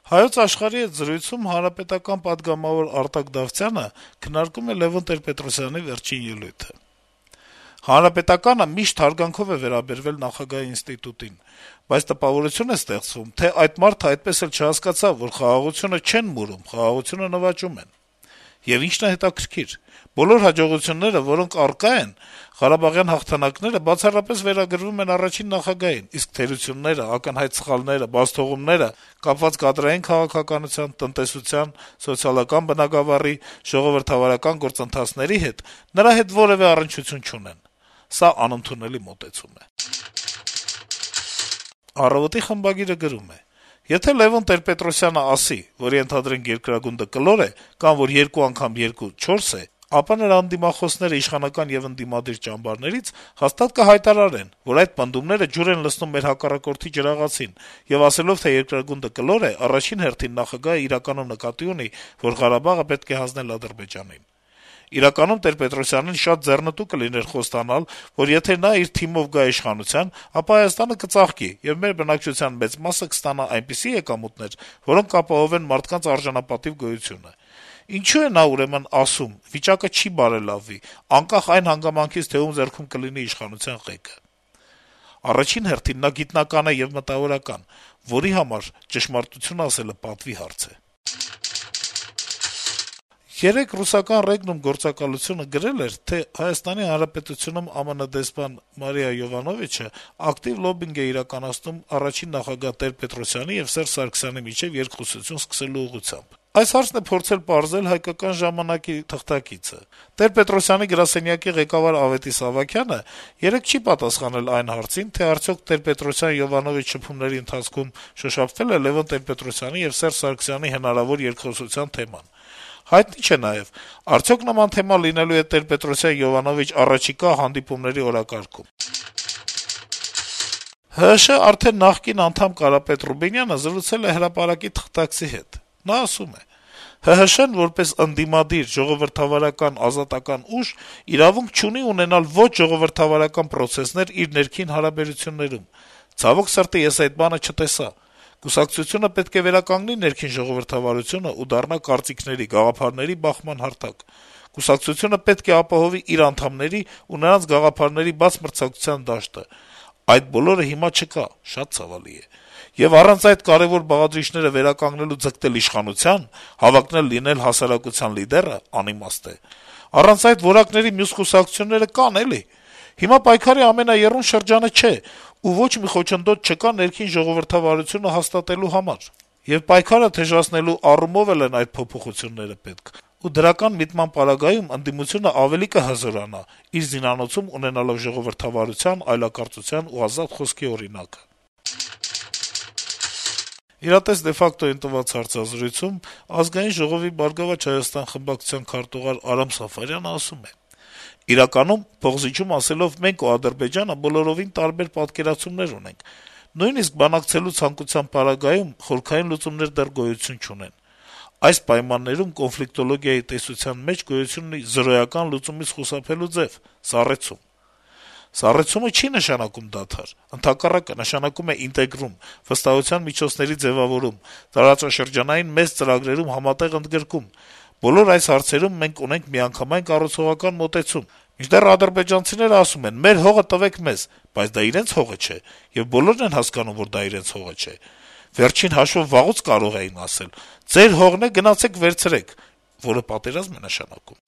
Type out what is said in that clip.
Հայոց աշխարհի հետ զրույցում Հանրապետական պատգամավոր Արտակ Դավթյանը քննարկում է Լեւոն Տեր-Պետրոսյանի վերջին ելույթը. - «Հանրապետականը միշտ հարգանքով է վերաբերվել նախագահի ինստիտուտին, բայց տպավորություն է ստեղծվում, թե այդ մարդը այդպես էլ չհասկացավ, որ խաղաղությունը չեն մուրում, խաղաղությունը նվաճում են: Եվ ինչն է հետաքրքիր, բոլոր հաջողությունները, որոնք առկա են, ղարաբաղյան հաղթանակները, բացառապես վերագրվում են առաջին նախագահին, իսկ թերությունները, ակնհայտ սխալները, բացթողումները կապված կադրային քաղաքականության, տնտեսության, սոցիալական բնագավառի, ժողովրդավարական գործընթացների հետ նրա հետ որեւէ առնչություն չունեն: Սա անընդունելի մոտեցում է»: «Առավոտ»-ի խմբագիրը գրում է. - «Եթե Լեւոն Տեր-Պետրոսյանը ասի, որ ենթադրենք երկրագունդը կլոր է, կամ որ 2 անգամ 2 4 է, ապա նրա ընդդիմախոսները իշխանական եւ ընդդիմադիր ճամբարներից հաստատ կհայտարարեն, որ այդ պնդումները ջուր են լցնում մեր հակառակորդի ջրաղացին, եւ ասելով, թե երկրագունդը կլոր է, առաջին հերթին նախագահը իրականում նկատի ունի, որ Ղարաբաղը պետք է հանձնել Ադրբեջանին: Իրականում Տեր-Պետրոսյանին շատ ձեռնտու կլիներ խոստանալ, որ եթե նա իր թիմով գա իշխանության, ապա Հայաստանը կծաղկի, եւ մեր բնակչության մեծ մասը կստանա այնպիսի եկամուտներ, որոնք կապահովեն մարդկանց արժանապատիվ գոյությունը: Ինչո՞ւ է նա ուրեմն ասում` վիճակը չի բարելավվի, անկախ այն հանգամանքից, թե ում ձեռքում կլինի իշխանության ղեկը: Առաջին հերթին նա գիտնական է եւ մտավորական, որի համար ճշմարտություն ասելը պատվի հարց է»: Երեկ ռուսական Ռեգնում գործակալությունը գրել էր, թե Հայաստանի Հանրապետությունում ԱՄՆ դեսպան Մարիա Յովանովիչը ակտիվ լոբբինգ է իրականացնում առաջին նախագահ Տեր-Պետրոսյանի եւ Սերժ Սարգսյանի միջեւ երկխոսություն սկսելու ուղղությամբ: Այս հարցն է փորձել պարզել «Հայկական ժամանակ»-ի թղթակիցը: Տեր-Պետրոսյանի գրասենյակի ղեկավար Ավետիս Ավագյանը երեկ չի պատասխանել այն հարցին, թե արդյոք Տեր-Պետրոսյան-Յովանովիչ շփումների ընթացքում շոշափվե՞լ է Լեւոն Տեր-Պետրոսյանի եւ Սերժ Սարգսյանի հնարավոր երկխոսության թեման: Հայտնի չէ նաեւ` արդյոք նման թեմա լինելու է Տեր-Պետրոսյան-Յովանովիչ առաջիկա հանդիպումների օրակարգում: ՀՀՇ արդեն նախկին անդամ Կարապետ Ռուբինյանը զրուցել է «Հրապարակ»-ի թղթակցի հետ: Նա ասում է. - «ՀՀՇ-ն, որպես ընդդիմադիր, ժողովրդավարական, ազատական ուժ, իրավունք չունի ունենալ ոչ ժողովրդավարական պրոցեսներ իր ներքին հարաբերություններում: Ցավոք սրտի, ես այդ բանը չտեսա: Կուսակցությունը պետք է վերականգնի ներքին ժողովրդավարությունը ու դառնա կարծիքների, գաղափարների բախման հարթակ: Կուսակցությունը պետք է ապահովի իր անդամների ու նրանց գաղափարների բաց մրցակցության դաշտը: Այդ բոլորը հիմա չկա, շատ ցավալի է: Եվ առանց այդ կարեւոր բաղադրիչները վերականգնելու ձգտել իշխանության, հավակնել լինել հասարակության լիդերը անիմաստ է: Առանց այդ որակների մյուս կուսակցությունները կան, էլի: Հիմա պայքարի ամենաեռուն շրջանը չէ, ու ոչ մի խոչընդոտ չկա ներքին ժողովրդավարությունը հաստատելու համար: Եվ պայքարը թեժացնելու առումով էլ են այդ փոփոխությունները պետք: Ու դրական միտման պարագայում ընդդիմությունը ավելի կհզորանա` իր զինանոցում ունենալով ժողովրդավարության, այլակարծության ու ազատ խոսքի օրինակը»: «Իրատես de facto»-ին տված հարցազրույցում Ազգային ժողովի «Բարգավաճ Հայաստան» խմբակցության քարտուղար Արամ Սաֆարյանը ասում է. - «Իրականում, փոխզիջում ասելով, մենք ու Ադրբեջանը բոլորովին տարբեր պատկերացումներ ունենք: Նույնիսկ բանակցելու ցանկության պարագայում խորքային լուծումներ դեռ գոյություն չունեն: Այս պայմաններում կոնֆլիկտոլոգիայի տեսության մեջ գոյություն ունի զրոյական լուծումից խուսափելու ձեւ` սառեցում: Սառեցումը չի նշանակում դադար, ընդհակառակը, նշանակում է ինտեգրում, վստահության միջոցների ձեւավորում, տարածաշրջանային մեծ ծրագրերում համատեղ ընդգրկում: Բոլոր այս հարցերում մենք ունենք միանգամայն կառուցողական մոտեցում: Մինչդեռ ադրբեջանցիները ասում են` մեր հողը տվեք մեզ, բայց դա իրենց հողը չէ, եւ բոլորն են հասկանում, որ դա իրենց հողը չէ: Վերջին հաշվով վաղուց կարող էին ասել. ձեր հողն է, գնացեք վերցրեք, որը պատերազմ է նշանակում»: